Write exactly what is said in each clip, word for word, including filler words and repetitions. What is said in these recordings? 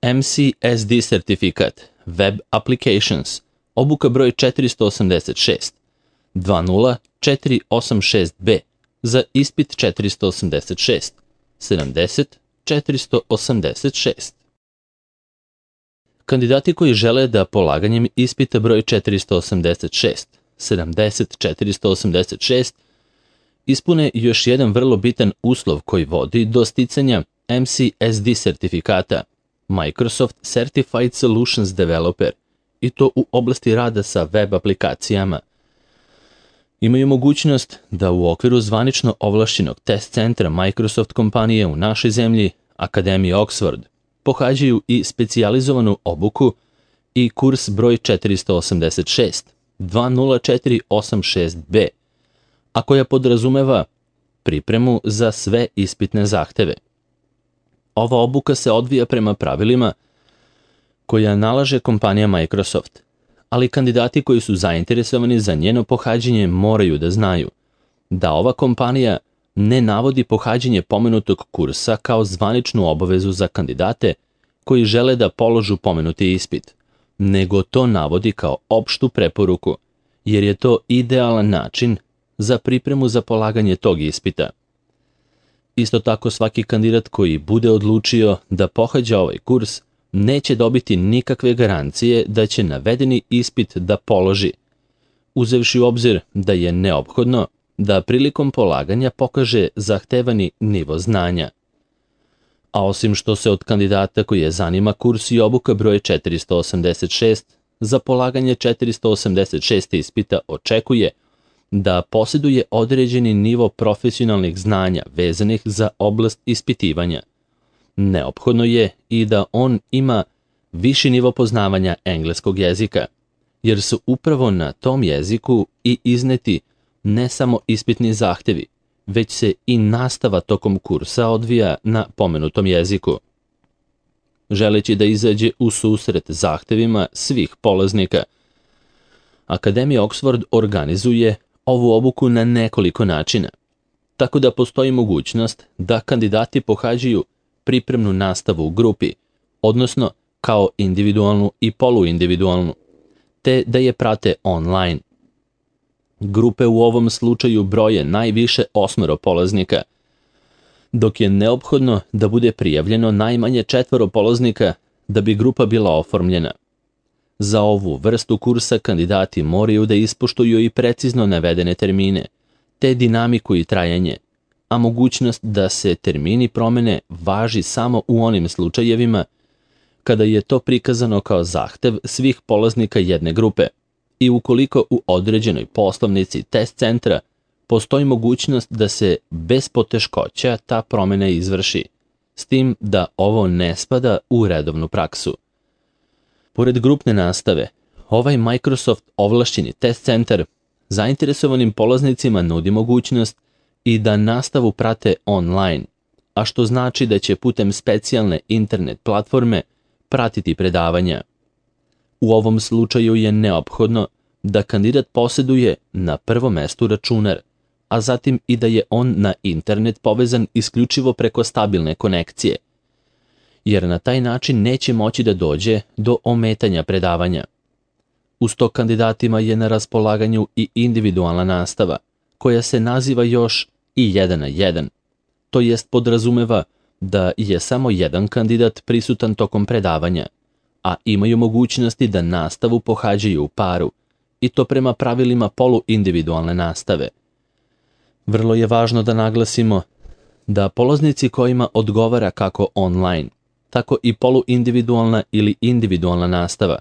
M C S D sertifikat, Web Applications, obuka broj četiristo osamdeset šest, dva nula četiri osam šest B za ispit četiristo osamdeset šest, sedamdeset četiristo osamdeset šest. Kandidati koji žele da polaganjem ispita broj četiristo osamdeset šest, sedamdeset četiristo osamdeset šest ispune još jedan vrlo bitan uslov koji vodi do sticanja M C S D sertifikata, Microsoft Certified Solutions Developer, i to u oblasti rada sa web aplikacijama. Imaju mogućnost da u okviru zvanično ovlašćenog test centra Microsoft kompanije u našoj zemlji, Akademije Oxford, pohađaju i specijalizovanu obuku i kurs broj četiristo osamdeset šest, dva nula četiri osam šest B, a koja podrazumeva pripremu za sve ispitne zahteve. Ova obuka se odvija prema pravilima koja nalaže kompanija Microsoft, ali kandidati koji su zainteresovani za njeno pohađanje moraju da znaju da ova kompanija ne navodi pohađanje pomenutog kursa kao zvaničnu obavezu za kandidate koji žele da položu pomenuti ispit, nego to navodi kao opštu preporuku, jer je to idealan način za pripremu za polaganje tog ispita. Isto tako, svaki kandidat koji bude odlučio da pohađa ovaj kurs neće dobiti nikakve garancije da će navedeni ispit da položi, uzevši u obzir da je neophodno da prilikom polaganja pokaže zahtevani nivo znanja. A osim što se od kandidata koji je zanima kurs i obuka broj četiristo osamdeset šest, za polaganje četiristo osamdeset šest ispita očekuje da posjeduje određeni nivo profesionalnih znanja vezanih za oblast ispitivanja. Neophodno je i da on ima viši nivo poznavanja engleskog jezika, jer su upravo na tom jeziku i izneti ne samo ispitni zahtevi, već se i nastava tokom kursa odvija na pomenutom jeziku. Želeći da izađe u susret zahtevima svih polaznika, Akademija Oxford organizuje ovu obuku na nekoliko načina, tako da postoji mogućnost da kandidati pohađaju pripremnu nastavu u grupi, odnosno kao individualnu i poluindividualnu, te da je prate online. Grupe u ovom slučaju broje najviše osmoro polaznika, dok je neophodno da bude prijavljeno najmanje četvoro polaznika da bi grupa bila oformljena. Za ovu vrstu kursa kandidati moraju da ispoštuju i precizno navedene termine, te dinamiku i trajanje, a mogućnost da se termini promene važi samo u onim slučajevima kada je to prikazano kao zahtev svih polaznika jedne grupe i ukoliko u određenoj poslovnici test centra postoji mogućnost da se bez poteškoća ta promena izvrši, s tim da ovo ne spada u redovnu praksu. Pored grupne nastave, ovaj Microsoft ovlašćeni test centar zainteresovanim polaznicima nudi mogućnost i da nastavu prate online, a što znači da će putem specijalne internet platforme pratiti predavanja. U ovom slučaju je neophodno da kandidat posjeduje na prvom mestu računar, a zatim i da je on na internet povezan isključivo preko stabilne konekcije, jer na taj način neće moći da dođe do ometanja predavanja. Uz to kandidatima je na raspolaganju i individualna nastava, koja se naziva još i jedan na jedan, to jest podrazumeva da je samo jedan kandidat prisutan tokom predavanja, a imaju mogućnosti da nastavu pohađaju u paru, i to prema pravilima poluindividualne nastave. Vrlo je važno da naglasimo da polaznici kojima odgovara kako online, tako i poluindividualna ili individualna nastava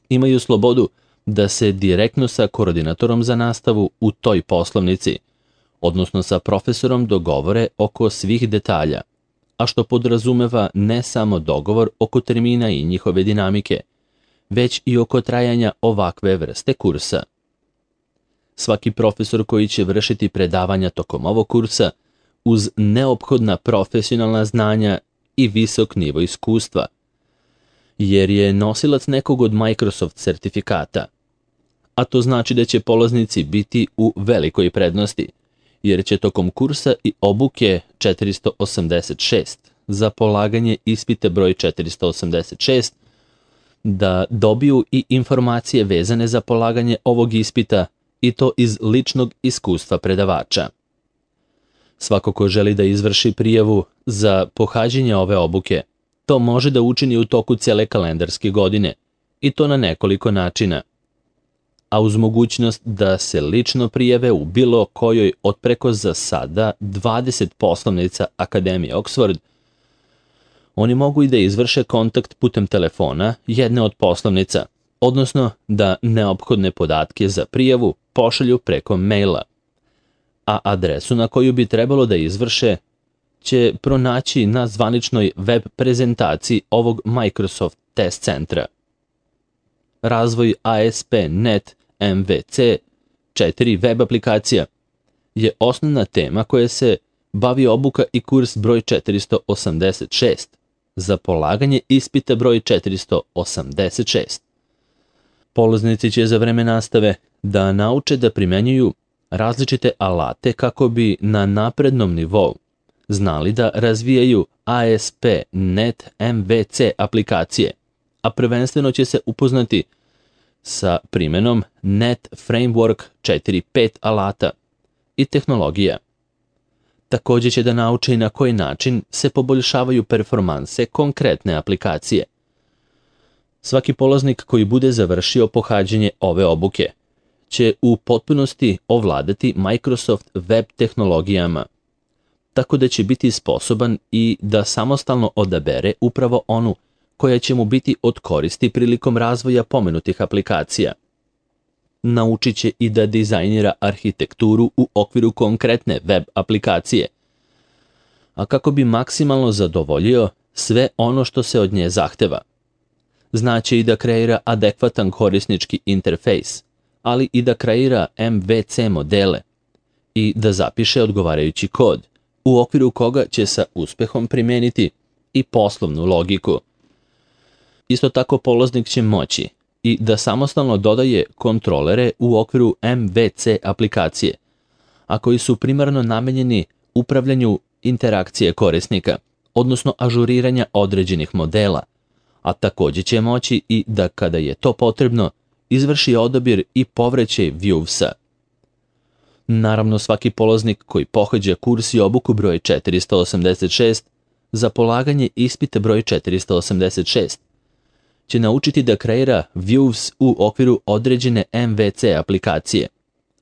imaju slobodu da se direktno sa koordinatorom za nastavu u toj poslovnici, odnosno sa profesorom, dogovore oko svih detalja, a što podrazumeva ne samo dogovor oko termina i njihove dinamike, već i oko trajanja ovakve vrste kursa. Svaki profesor koji će vršiti predavanja tokom ovog kursa, uz neophodna profesionalna znanja i visok nivo iskustva, jer je nosilac nekog od Microsoft sertifikata, a to znači da će polaznici biti u velikoj prednosti, jer će tokom kursa i obuke četiristo osamdeset šest, za polaganje ispita broj četiristo osamdeset šest, da dobiju i informacije vezane za polaganje ovog ispita i to iz ličnog iskustva predavača. Svako ko želi da izvrši prijavu za pohađanje ove obuke, to može da učini u toku cijele kalendarske godine i to na nekoliko načina. A uz mogućnost da se lično prijave u bilo kojoj od preko za sada dvadeset poslovnica Akademije Oxford, oni mogu i da izvrše kontakt putem telefona jedne od poslovnica, odnosno da neophodne podatke za prijavu pošalju preko maila, a adresu na koju bi trebalo da izvrše će pronaći na zvaničnoj web prezentaciji ovog Microsoft Test Centra. Razvoj A S P punkt net M V C četiri web aplikacija je osnovna tema koja se bavi obuka i kurs broj četiristo osamdeset šest za polaganje ispita broj četiristo osamdeset šest. Polaznici će za vreme nastave da nauče da primenjuju različite alate kako bi na naprednom nivou znali da razvijaju A S P punkt net M V C aplikacije, a prvenstveno će se upoznati sa primenom Net Framework četiri pet alata i tehnologija. Također će da nauče i na koji način se poboljšavaju performanse konkretne aplikacije. Svaki polaznik koji bude završio pohađanje ove obuke će u potpunosti ovladati Microsoft web tehnologijama, tako da će biti sposoban i da samostalno odabere upravo onu koja će mu biti od koristi prilikom razvoja pomenutih aplikacija. Naučit će i da dizajnira arhitekturu u okviru konkretne web aplikacije, a kako bi maksimalno zadovoljio sve ono što se od nje zahteva. Znaće i da kreira adekvatan korisnički interfejs, ali i da kreira M V C modele i da zapiše odgovarajući kod, u okviru koga će sa uspehom primijeniti i poslovnu logiku. Isto tako polaznik će moći i da samostalno dodaje kontrolere u okviru M V C aplikacije, a koji su primarno namenjeni upravljanju interakcije korisnika, odnosno ažuriranja određenih modela, a također će moći i da kada je to potrebno izvrši odabir i povraćaj Viewsa. Naravno, svaki polaznik koji pohađa kurs i obuku broj četiristo osamdeset šest za polaganje ispita broj četiristo osamdeset šest će naučiti da kreira Views u okviru određene M V C aplikacije,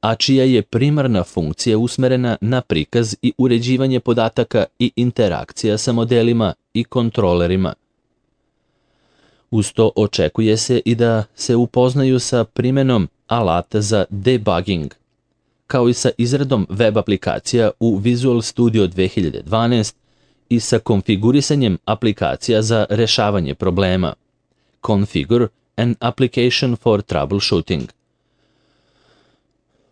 a čija je primarna funkcija usmerena na prikaz i uređivanje podataka i interakcija sa modelima i kontrolerima. Uz to očekuje se i da se upoznaju sa primenom alata za debugging, kao i sa izradom web aplikacija u Visual Studio dve hiljade dvanaest i sa konfigurisanjem aplikacija za rešavanje problema. Configure an application for troubleshooting.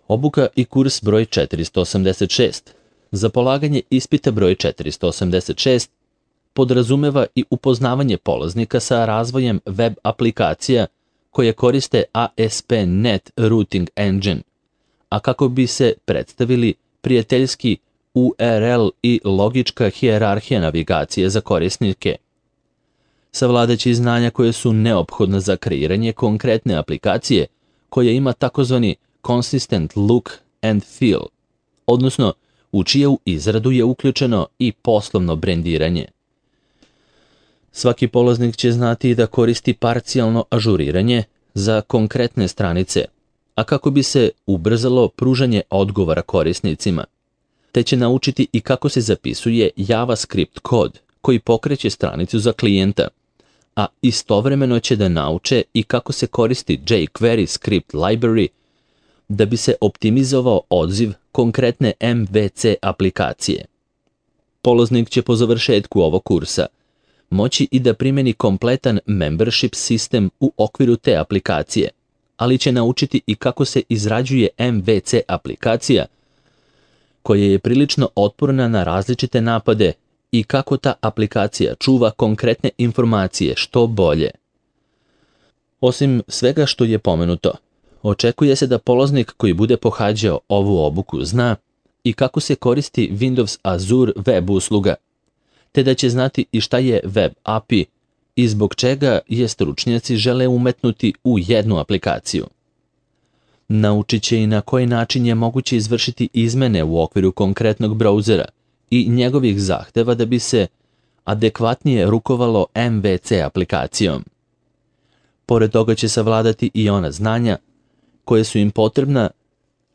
Obuka i kurs broj četiristo osamdeset šest za polaganje ispita broj četiristo osamdeset šest podrazumeva i upoznavanje polaznika sa razvojem web aplikacija koje koriste A S P punkt net Routing Engine, a kako bi se predstavili prijateljski U R L i logička hijerarhija navigacije za korisnike. Savladaće znanja koje su neophodna za kreiranje konkretne aplikacije koja ima takozvani consistent look and feel, odnosno u čiju izradu je uključeno i poslovno brendiranje. Svaki polaznik će znati da koristi parcijalno ažuriranje za konkretne stranice, a kako bi se ubrzalo pružanje odgovora korisnicima, te će naučiti i kako se zapisuje JavaScript kod koji pokreće stranicu za klijenta, a istovremeno će da nauče i kako se koristi jQuery script library da bi se optimizovao odziv konkretne M V C aplikacije. Polaznik će po završetku ovog kursa moći i da primjeni kompletan membership sistem u okviru te aplikacije, ali će naučiti i kako se izrađuje M V C aplikacija koja je prilično otporna na različite napade i kako ta aplikacija čuva konkretne informacije što bolje. Osim svega što je pomenuto, očekuje se da polaznik koji bude pohađao ovu obuku zna i kako se koristi Windows Azure web usluga, te da će znati i šta je web A P I i zbog čega je stručnjaci žele umetnuti u jednu aplikaciju. Naučit će i na koji način je moguće izvršiti izmene u okviru konkretnog brauzera i njegovih zahteva da bi se adekvatnije rukovalo M V C aplikacijom. Pored toga će savladati i ona znanja koje su im potrebna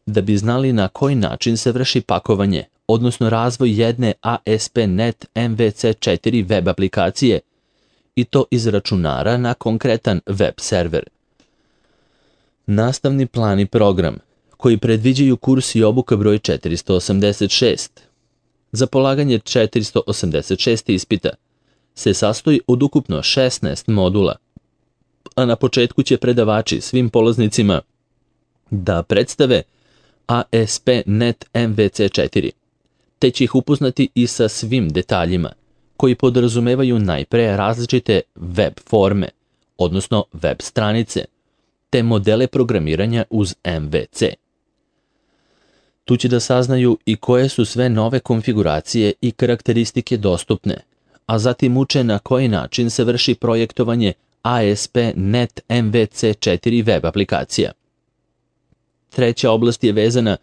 da bi znali na koji način se vrši pakovanje, odnosno razvoj jedne A S P punkt net M V C četiri web aplikacije i to iz računara na konkretan web server. Nastavni plan i program koji predviđaju kurs i obuka broj četiristo osamdeset šest. Za polaganje četiristo osamdeset šest ispita se sastoji od ukupno šesnaest modula, a na početku će predavači svim polaznicima da predstave A S P punkt net M V C četiri, te će ih upoznati i sa svim detaljima, koji podrazumevaju najpre različite web forme, odnosno web stranice, te modele programiranja uz M V C. Tu će da saznaju i koje su sve nove konfiguracije i karakteristike dostupne, a zatim uče na koji način se vrši projektovanje A S P punkt net M V C četiri web aplikacija. Treća oblast je vezana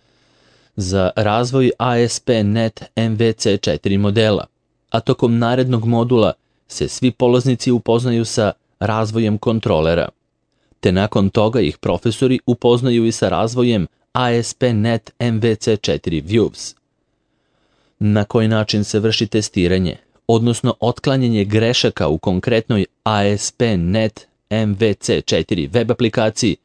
za razvoj A S P punkt net M V C četiri modela, a tokom narednog modula se svi polaznici upoznaju sa razvojem kontrolera, te nakon toga ih profesori upoznaju i sa razvojem A S P punkt net M V C četiri Views. Na koji način se vrši testiranje, odnosno otklanjanje grešaka u konkretnoj A S P punkt net M V C četiri web aplikaciji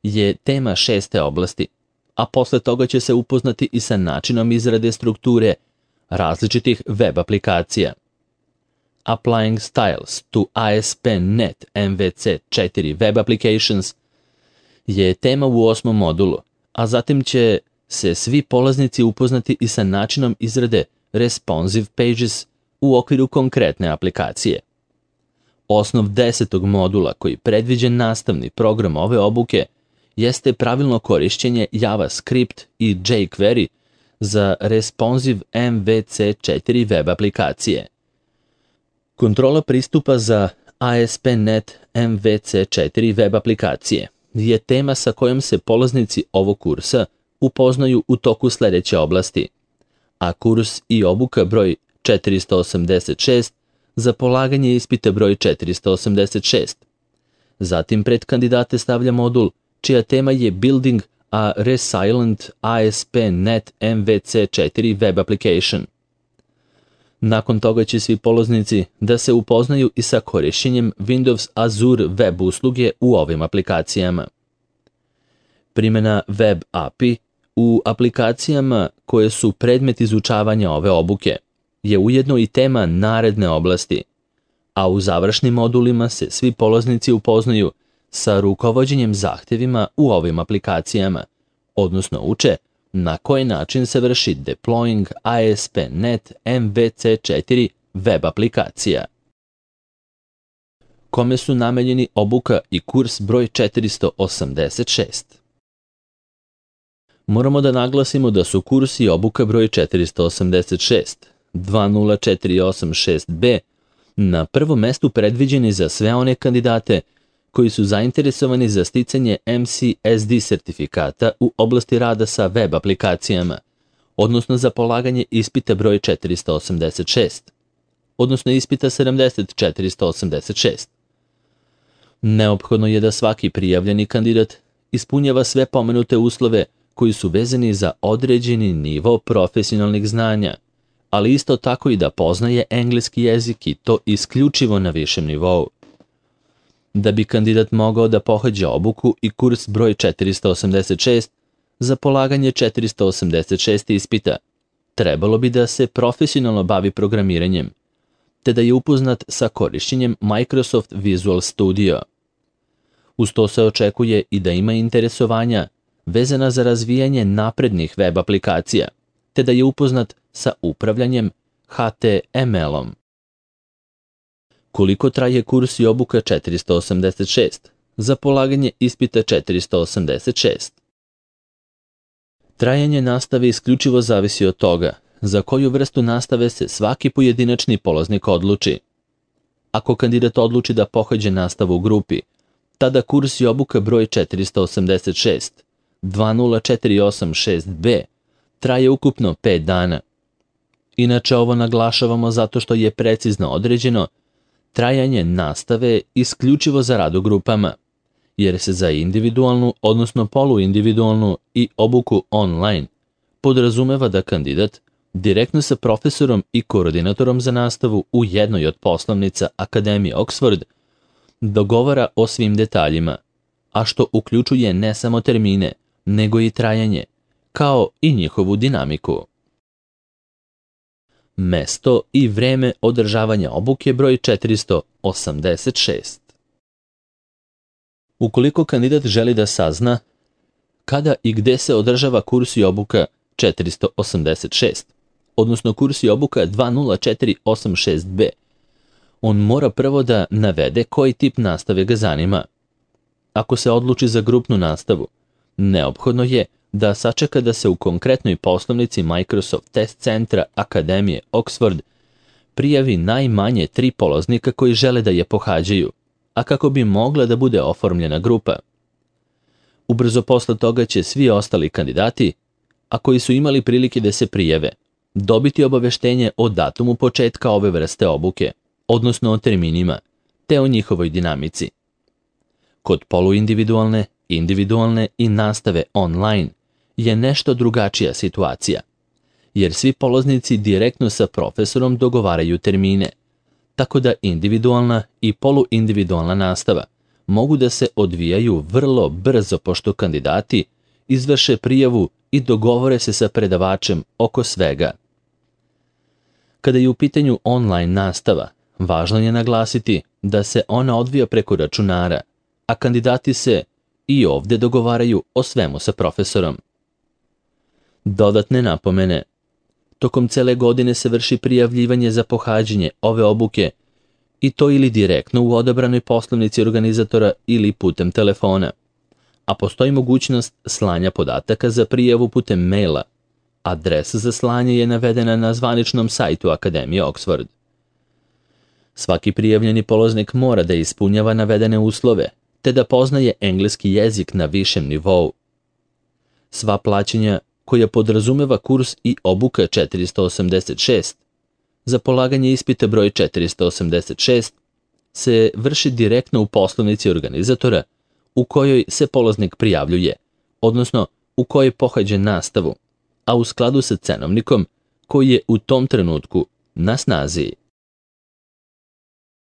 je tema šeste oblasti, a posle toga će se upoznati i sa načinom izrade strukture različitih web aplikacija. Applying Styles to A S P punkt net M V C četiri Web Applications je tema u osmom modulu, a zatim će se svi polaznici upoznati i sa načinom izrade Responsive Pages u okviru konkretne aplikacije. Osnov desetog modula koji predviđa nastavni program ove obuke jeste pravilno korišćenje JavaScript i jQuery za Responsive M V C četiri web aplikacije. Kontrola pristupa za A S P punkt net M V C četiri web aplikacije je tema sa kojom se polaznici ovog kursa upoznaju u toku sledeće oblasti, a kurs i obuka broj četiristo osamdeset šest za polaganje ispita broj četiristo osamdeset šest. Zatim pred kandidate stavlja modul čija tema je Building a Resilient A S P punkt net M V C četiri web application. Nakon toga će svi polaznici da se upoznaju i sa korišćenjem Windows Azure web usluge u ovim aplikacijama. Primjena web A P I u aplikacijama koje su predmet izučavanja ove obuke je ujedno i tema naredne oblasti, a u završnim modulima se svi polaznici upoznaju sa rukovođenjem zahtjevima u ovim aplikacijama, odnosno uče na koji način se vrši deploying A S P punkt net M V C četiri web aplikacija. Kome su namenjeni obuka i kurs broj četiristo osamdeset šest? Moramo da naglasimo da su kurs i obuka broj četiristo osamdeset šest dva nula četiri osam šest B na prvom mestu predviđeni za sve one kandidate koji su zainteresovani za sticanje M C S D sertifikata u oblasti rada sa web aplikacijama, odnosno za polaganje ispita broj četiristo osamdeset šest, odnosno ispita sedamdeset četiristo osamdeset šest. Neophodno je da svaki prijavljeni kandidat ispunjava sve pomenute uslove koji su vezani za određeni nivo profesionalnih znanja, ali isto tako i da poznaje engleski jezik i to isključivo na višem nivou. Da bi kandidat mogao da pohađa obuku i kurs broj četiristo osamdeset šest za polaganje četiristo osamdeset šest ispita, trebalo bi da se profesionalno bavi programiranjem, te da je upoznat sa korišćenjem Microsoft Visual Studio. Uz to se očekuje i da ima interesovanja vezana za razvijanje naprednih web aplikacija, te da je upoznat sa upravljanjem H T M L-om. Koliko traje kurs i obuka četiristo osamdeset šest za polaganje ispita četiristo osamdeset šest? Trajanje nastave isključivo zavisi od toga za koju vrstu nastave se svaki pojedinačni polaznik odluči. Ako kandidat odluči da pohađa nastavu u grupi, tada kurs i obuka broj četiristo osamdeset šest dva nula četiri osam šest b traje ukupno pet dana. Inače, ovo naglašavamo zato što je precizno određeno trajanje nastave isključivo za rad u grupama, jer se za individualnu, odnosno poluindividualnu i obuku online podrazumeva da kandidat direktno sa profesorom i koordinatorom za nastavu u jednoj od poslovnica Akademije Oxford dogovara o svim detaljima, a što uključuje ne samo termine, nego i trajanje, kao i njihovu dinamiku. Mesto i vreme održavanja obuke broj četiristo osamdeset šest. Ukoliko kandidat želi da sazna kada i gde se održava kurs i obuka četiristo osamdeset šest, odnosno kurs i obuka dva nula četiri osam šest b, on mora prvo da navede koji tip nastave ga zanima. Ako se odluči za grupnu nastavu, neophodno je da sačeka da se u konkretnoj poslovnici Microsoft Test Centra Akademije Oxford prijavi najmanje tri polaznika koji žele da je pohađaju, a kako bi mogla da bude oformljena grupa. Ubrzo posle toga će svi ostali kandidati, a koji su imali prilike da se prijave, dobiti obaveštenje o datumu početka ove vrste obuke, odnosno o terminima, te o njihovoj dinamici. Kod poluindividualne, individualne i nastave online je nešto drugačija situacija, jer svi polaznici direktno sa profesorom dogovaraju termine, tako da individualna i poluindividualna nastava mogu da se odvijaju vrlo brzo pošto kandidati izvrše prijavu i dogovore se sa predavačem oko svega. Kada je u pitanju online nastava, važno je naglasiti da se ona odvija preko računara, a kandidati se i ovdje dogovaraju o svemu sa profesorom. Dodatne napomene. Tokom cele godine se vrši prijavljivanje za pohađanje ove obuke i to ili direktno u odabranoj poslovnici organizatora ili putem telefona, a postoji mogućnost slanja podataka za prijavu putem maila. Adresa za slanje je navedena na zvaničnom sajtu Akademije Oxford. Svaki prijavljeni polaznik mora da ispunjava navedene uslove, te da poznaje engleski jezik na višem nivou. Sva plaćanja koja podrazumeva kurs i obuka četiristo osamdeset šest za polaganje ispita broj četiristo osamdeset šest se vrši direktno u poslovnici organizatora u kojoj se polaznik prijavljuje, odnosno u kojoj pohađa nastavu, a u skladu sa cenovnikom koji je u tom trenutku na snazi.